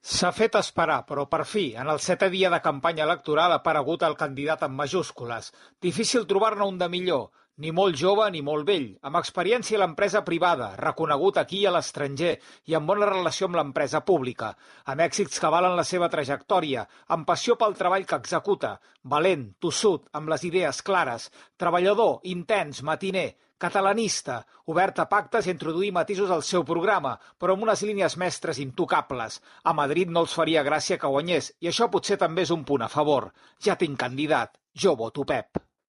S'ha fet esperar, però per fi, en el 7è dia de campanya electoral ha aparegut el candidat amb majúscules. Difícil trobar-ne un de millor, ni molt jove ni molt vell, amb experiència a l'empresa privada, reconegut aquí i a l'estranger, i amb bona relació amb l'empresa pública, amb èxits que valen la seva trajectòria, amb passió pel treball que executa, valent, tossut, amb les idees clares, treballador, intens, matiner, catalanista, obert a pactes i a introduir matisos al seu programa, però amb unes línies mestres intocables. A Madrid no els faria gràcia que guanyés, i això potser també és un punt a favor. Ja tinc candidat. Jo voto Pep.